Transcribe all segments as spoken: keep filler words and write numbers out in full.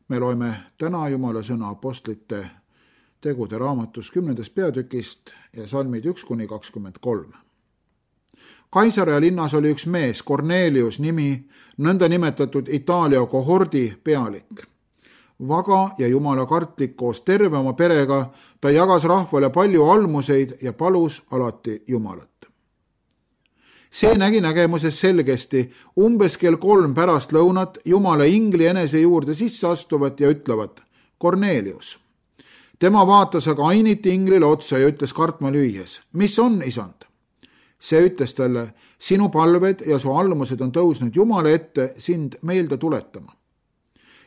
Me loeme täna Jumala sõna apostlite tegude raamatus kümnendast peatükist ja salmid üks kuni kakskümmend kolm. Kaisarea linnas oli üks mees, Kornelius nimi, nõnda nimetatud Itaalia kohordi pealik. Vaga ja jumala kartlik koos terve oma perega, ta jagas rahvale palju almuseid ja palus alati Jumalat. See nägi nägemuses selgesti umbes kell kolm pärast lõunat Jumala ingli enese juurde sisse astuvat ja ütlevat: Kornelius. Tema vaatas aga ainiti inglile otsa ja ütles kartma lüües: mis on, isand? See ütles talle: sinu palved ja su almused on tõusnud Jumala ette sind meelde tuletama.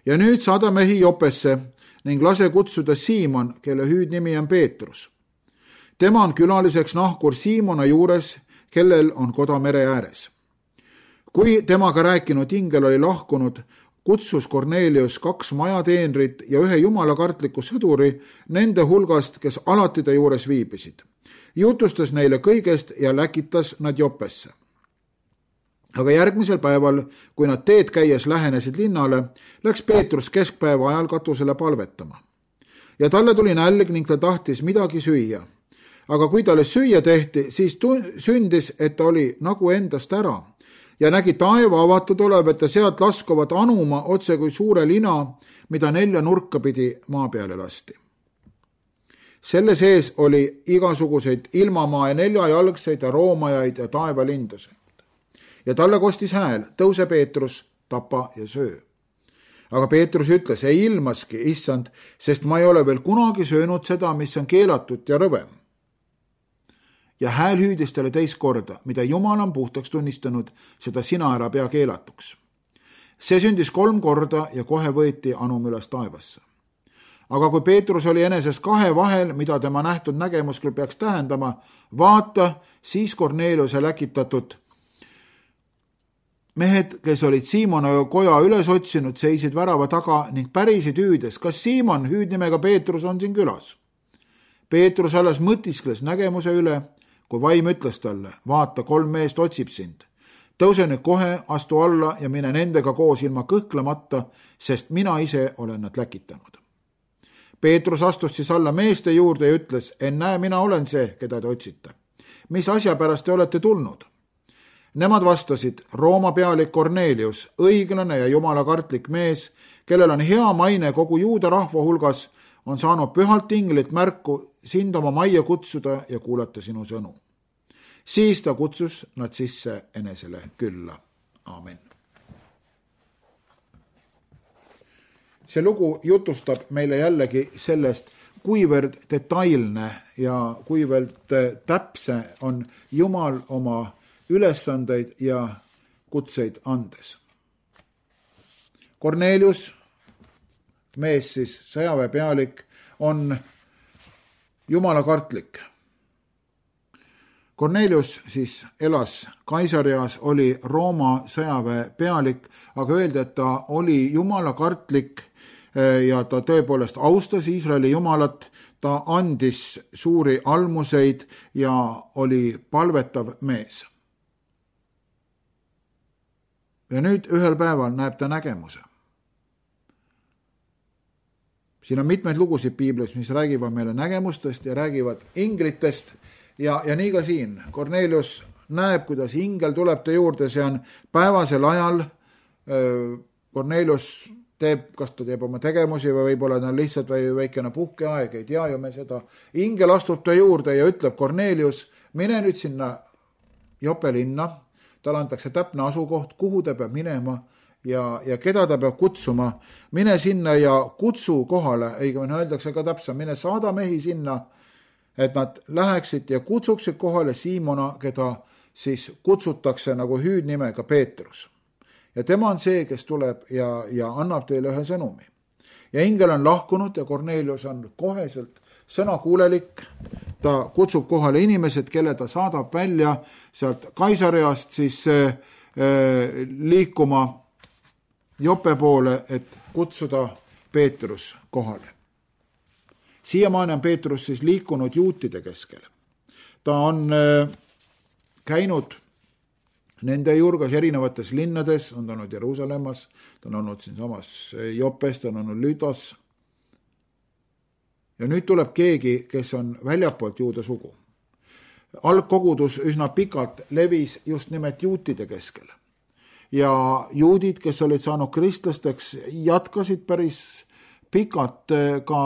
Ja nüüd saada mehi Jopesse ning lase kutsuda Siimon, kelle hüüdnimi on Peetrus. Tema on külaliseks nahkur Siimona juures, kellel on koda mere ääres. Kui temaga rääkinud ingel oli lahkunud, kutsus Kornelius kaks majateenrit ja ühe jumalakartliku sõduri nende hulgast, kes alati ta juures viibisid. Jutustas neile kõigest ja läkitas nad Jopesse. Aga järgmisel päeval, kui nad teed käies lähenesid linnale, läks Peetrus keskpäeva ajal katusele palvetama. Ja talle tuli nälg ning ta tahtis midagi süüa. Aga kui talle süüa tehti, siis sündis, et ta oli nagu endast ära ja nägi taeva avatud olevat ja sealt laskuvat anuma otse kui suure lina, mida nelja nurka pidi maa peale lasti. Selle sees oli igasuguseid ilmamaa ja neljajalgseid ja roomajaid ja taevalinduseid. Ja talle kostis hääl: tõuse Peetrus, tapa ja söö. Aga Peetrus ütles: ei ilmaski, issand, sest ma ei ole veel kunagi söönud seda, mis on keelatud ja rõve. Ja hääl hüüdis talle teist korda: mida Jumal on puhtaks tunnistanud, seda sina ära pea keelatuks. See sündis kolm korda ja kohe võeti anum üles taevasse. Aga kui Peetrus oli eneses kahe vahel, mida tema nähtud nägemus küll peaks tähendama, vaata, siis Korneliuse läkitatud mehed, kes olid Siimona koja üles otsinud, seisid värava taga ning pärisid hüüdes: kas Siimon, hüüdnimega Peetrus, on siin külas? Peetrus alles mõtiskles nägemuse üle, kui vaim ütles talle: vaata, kolm meest otsib sind. Tõuse nüüd kohe, astu alla ja mine nendega koos ilma kõhklemata, sest mina ise olen nad läkitanud. Peetrus astus siis alla meeste juurde ja ütles: ennäe, mina olen see, keda te otsite. Mis asja pärast te olete tulnud? Nemad vastasid: Rooma pealik Kornelius, õiglane ja jumalakartlik mees, kellel on hea maine kogu juuda rahva hulgas, on saanud pühalt inglilt märku sind oma majja kutsuda ja kuulata sinu sõnu. Siis ta kutsus nad sisse enesele külla. Aamen. See lugu jutustab meile jällegi sellest, kuivõrd detailne ja kuivõrd täpse on Jumal oma ülesandeid ja kutseid andes. Kornelius, mees siis sõjaväe pealik, on jumalakartlik. Kornelius siis elas Kaisarias, oli Rooma sõjaväe pealik, aga öeldi, et ta oli jumalakartlik ja ta tõepoolest austas Iisraeli jumalat, ta andis suuri almuseid ja oli palvetav mees. Ja nüüd ühel päeval näeb ta nägemuse. Siin on mitmeid lugusid piiblis, mis räägivad meile nägemustest ja räägivad inglitest ja, ja nii ka siin. Kornelius näeb, kuidas ingel tuleb ta juurde, see on päevasel ajal. Kornelius teeb, kas ta teeb oma tegemusi või võib-olla ta on lihtsalt või väikene puhkeaeg, ei tea ju me seda. Ingel astub ta juurde ja ütleb: Kornelius, mine nüüd sinna Jope linna. Talle antakse täpne asukoht, kuhu ta peab minema ja, ja keda ta peab kutsuma. Mine sinna ja kutsu kohale, õigemini öeldakse ka täpselt, mine saada mehi sinna, et nad läheksid ja kutsuksid kohale Siimona, keda siis kutsutakse nagu hüüdnimega Peetrus. Ja tema on see, kes tuleb ja, ja annab teile ühe sõnumi. Ja ingel on lahkunud ja Kornelius on koheselt sõnakuulelik. Ta kutsub kohale inimesed, kelle ta saadab välja sealt Kaisariast siis äh, liikuma Jope poole, et kutsuda Peetrus kohale. Siiamaani on Peetrus siis liikunud juutide keskel. Ta on äh, käinud nende juurgas erinevates linnades, on ta olnud Jeruusalemmas, ta on olnud siin samas Jopes, ta on olnud Lüdos. Ja nüüd tuleb keegi, kes on väljapoolt juuda sugu. Algkogudus üsna pikalt levis just nimelt juutide keskel. Ja juudid, kes olid saanud kristlasteks, jatkasid päris pikalt ka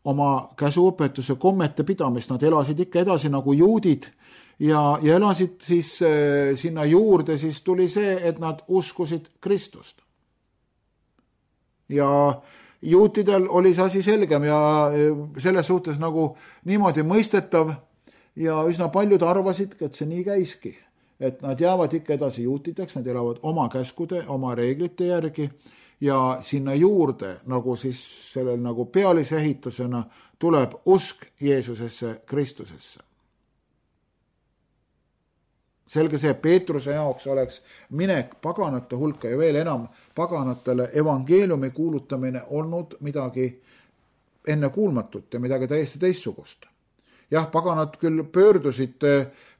oma käsuõpetuse kommete pidamist. Nad elasid ikka edasi nagu juudid ja, ja elasid siis äh, sinna juurde, siis tuli see, et nad uskusid Kristust. Ja juutidel oli see asi selgem ja selles suhtes nagu niimoodi mõistetav ja üsna paljud arvasid, et see nii käiski. Et nad jäävad ikka edasi juutideks, nad elavad oma käskude, oma reeglite järgi ja sinna juurde, nagu siis sellel nagu pealisehitusena, tuleb usk Jeesusesse, Kristusesse. Selge see, Peetruse jaoks oleks minek paganate hulka ja veel enam paganatele evangeeliumi kuulutamine olnud midagi ennekuulmatut ja midagi täiesti teistsugust. Jah, paganad küll pöördusid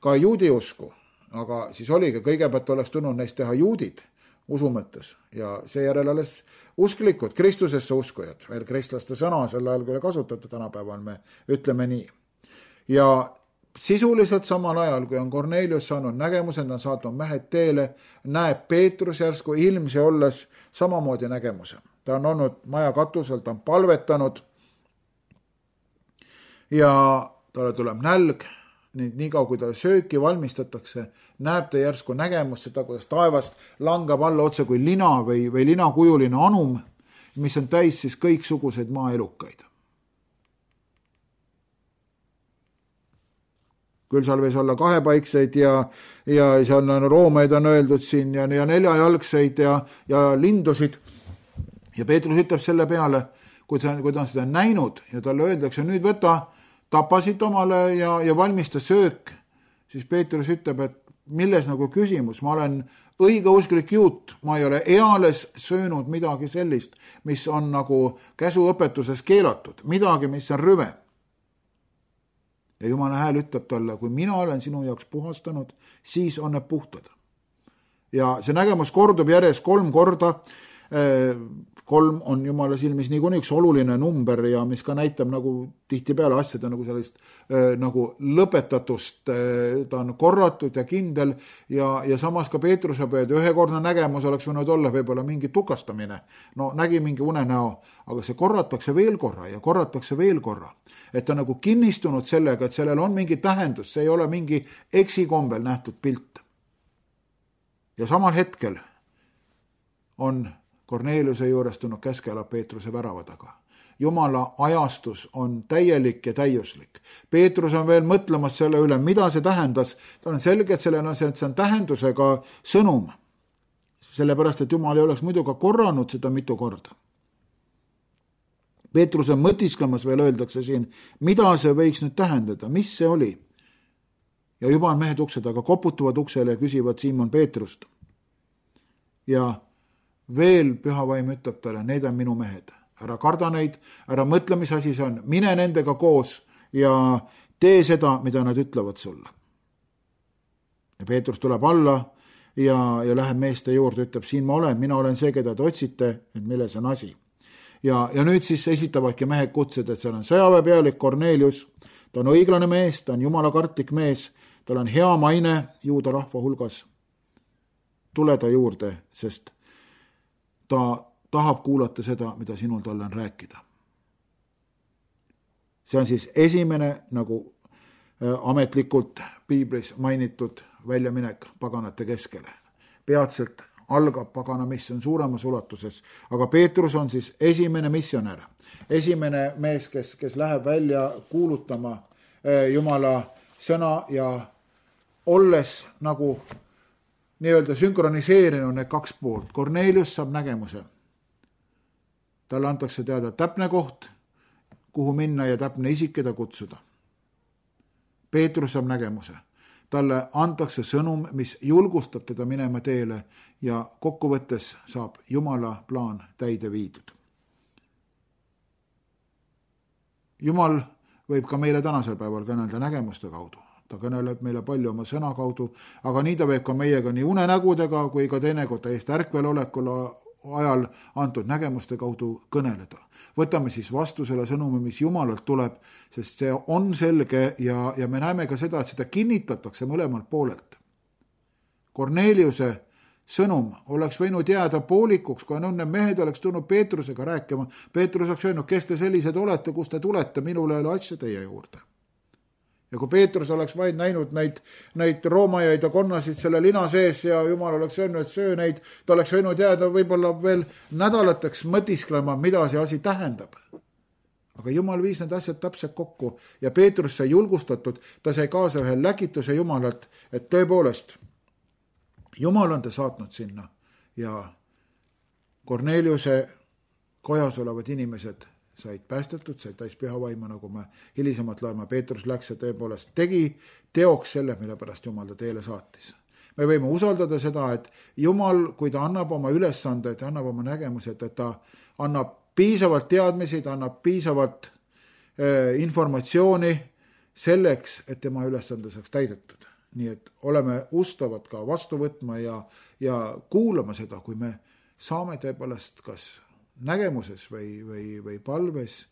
ka juudi usku, aga siis oligi, kõigepealt oleks tulnud neist teha juudid usu mõttes ja seejärel alles usklikud, Kristusesse uskujad, veel kristlaste sõna sel ajal, kui kasutati tänapäeval, me ütleme nii. Ja sisuliselt samal ajal, kui on Kornelius saanud nägemuse, ta on saatnud mehed teele, näeb Peetrus järsku ilmsi olles samamoodi nägemuse. Ta on olnud maja katusel, ta on palvetanud ja talle tuleb nälg, nii kaua kui ta sööki valmistatakse, näeb ta järsku nägemust seda, kuidas taevast langab alla otse kui lina või, või linakujuline anum, mis on täis siis kõiksuguseid maaelukaid. Küll seal võis olla kahepaikseid ja, ja seal on roomeid on öeldud siin ja, ja neljajalgseid ja, ja lindusid. Ja Peetrus ütleb selle peale, kui ta, kui ta on seda näinud ja talle öeldakse, nüüd võta, tapasid omale ja, ja valmista söök, siis Peetrus ütleb, et milles nagu küsimus, ma olen õigeusklik juut, ma ei ole eales söönud midagi sellist, mis on nagu käsuõpetuses keelatud, midagi, mis on rüve. Ja Jumala hääl ütleb talle, kui mina olen sinu jaoks puhastanud, siis on need puhtad. Ja see nägemus kordub järjest kolm korda. Kolm on Jumala silmis niikuinii üks oluline number ja mis ka näitab nagu tihtipeale asjade nagu sellist nagu lõpetatust. Ta on korratud ja kindel ja, ja samas ka Peetruse peal ühekordne nägemus oleks võinud olla võib-olla mingi tukastamine. No nägi mingi unenäo, aga see korratakse veel korra ja korratakse veel korra. Et ta nagu kinnistunud sellega, et sellel on mingi tähendus, see ei ole mingi eksikombel nähtud pilt. Ja samal hetkel on Korneliuse juures tulnud käskela Peetruse värava taga. Jumala ajastus on täielik ja täiuslik. Peetrus on veel mõtlemas selle üle, mida see tähendas. Ta on selge, et sellel on, see on tähendusega sõnum. Sellepärast, et Jumal ei oleks muidu ka korranud seda mitu korda. Peetrus on mõtisklemas veel öeldakse siin, mida see võiks nüüd tähendada, mis see oli. Ja juba on mehed uksed, aga koputavad uksele ja küsivad Siimon Peetrust. Ja veel pühavaim ütleb talle, need on minu mehed. Ära karda neid, ära mõtle, mis asi see on. Mine nendega koos ja tee seda, mida nad ütlevad sulle. Ja Peetrus tuleb alla ja, ja läheb meeste juurde, ütleb, siin ma olen, mina olen see, keda te otsite, et milles on asi. Ja, ja nüüd siis esitavadki mehed kutsed, et seal on sõjaväepealik Kornelius, ta on õiglane mees, ta on jumala kartlik mees, tal on hea maine juuda rahva hulgas. Tule ta juurde, sest ta tahab kuulata seda, mida sinul talle on rääkida. See on siis esimene nagu ametlikult piiblis mainitud väljaminek paganate keskele. Peatselt algab pagana missioon suuremas ulatuses, aga Peetrus on siis esimene missionär. Esimene mees, kes, kes läheb välja kuulutama Jumala sõna ja olles nagu nii-öelda sünkroniseerinud need kaks poolt. Kornelius saab nägemuse. Talle antakse teada täpne koht, kuhu minna ja täpne isik, keda kutsuda. Peetrus saab nägemuse. Talle antakse sõnum, mis julgustab teda minema teele ja kokkuvõttes saab Jumala plaan täide viidud. Jumal võib ka meile tänasel päeval kõnelda nägemuste kaudu. ta kõneleb meile palju oma sõna kaudu, aga nii ta võib ka meiega nii unenägudega kui ka teinekord täiesti ärkvel olekul ajal antud nägemuste kaudu kõneleda. Võtame siis vastu selle sõnumi, mis Jumalalt tuleb, sest see on selge ja, ja me näeme ka seda, et seda kinnitatakse mõlemalt poolelt. Korneliuse sõnum oleks võinud jääda poolikuks, kui on need mehed oleks tulnud Peetrusega rääkima. Peetrus oleks öelnud, kes te sellised olete, kus te tulete, minul ei ole asja teie juurde. Ja kui Peetrus oleks vaid näinud neid, neid roomajaid ja konnasid selle lina sees ja Jumal oleks öelnud, et söö neid, ta oleks võinud jääda võib-olla veel nädalateks mõtisklema, mida see asi tähendab. Aga Jumal viis need asjad täpselt kokku ja Peetrus sai julgustatud, ta sai kaasa ühe läkituse Jumalalt, et tõepoolest, Jumal on ta saatnud sinna ja Korneliuse kojas olevad inimesed said päästetud, said täis pühavaimu, nagu me hilisemalt loeme, Peetrus läks ja tõepoolest tegi teoks selle, mille pärast Jumal ta teele saatis. Me võime usaldada seda, et Jumal, kui ta annab oma ülesande, et annab oma nägemused, et ta annab piisavalt teadmisi, ta annab piisavalt äh, informatsiooni selleks, et tema ülesande saaks täidetud. Nii et oleme ustavad ka vastu võtma ja, ja kuulama seda, kui me saame tõepoolest kas nägemuses või, või, või palves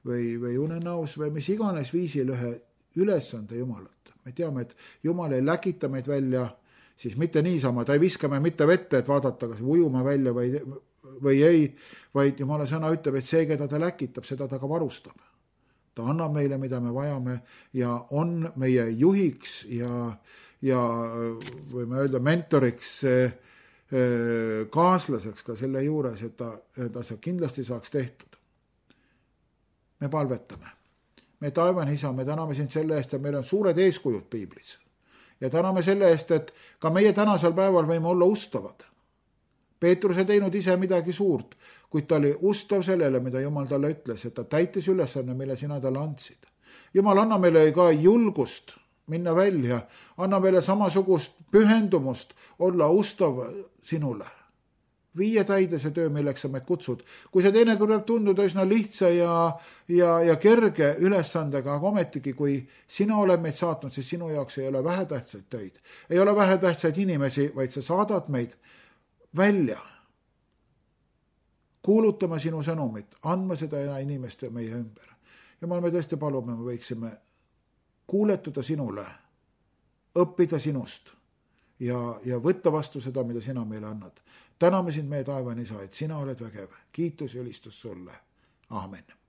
või, või unenäos või mis iganes viisil ühe ülesande Jumalalt. Me teame, et Jumal ei läkita meid välja, siis mitte niisama, ta ei viska me mitte vette, et vaadata, kas ujume välja või, või ei, vaid Jumala sõna ütleb, et see, keda ta läkitab, seda ta ka varustab. Ta annab meile, mida me vajame ja on meie juhiks ja, ja võime öelda mentoriks, kaaslaseks ka selle juures, et ta, ta see kindlasti saaks tehtud. Me palvetame. Me taevane isa, me täname sind selle eest, et meil on suured eeskujud piiblis. Ja täname selle eest, et ka meie tänasel päeval võime olla ustavad. Peetrus ei teinud ise midagi suurt, kuid ta oli ustav sellele, mida Jumal talle ütles, et ta täitis ülesanne, mille sina talle andsid. Jumal, anna meile ka julgust minna välja, anna meile samasugust pühendumust olla ustav sinule. Viie täide see töö, milleks sa meid kutsud. Kui see teine kõrv tunduda üsna lihtsa ja, ja, ja kerge ülesandega, aga ometigi, kui sina oled meid saatnud, siis sinu jaoks ei ole vähetähtsaid töid. Ei ole vähetähtsaid inimesi, vaid sa saadad meid välja, kuulutama sinu sõnumit, andma seda inimeste meie ümber. Jumal, me tõesti palume, me võiksime kuuletuda sinule, õppida sinust ja, ja võtta vastu seda, mida sina meile annad. Täname sind meie taevane isa, et sina oled vägev. Kiitus ja ülistus sulle. Aamen.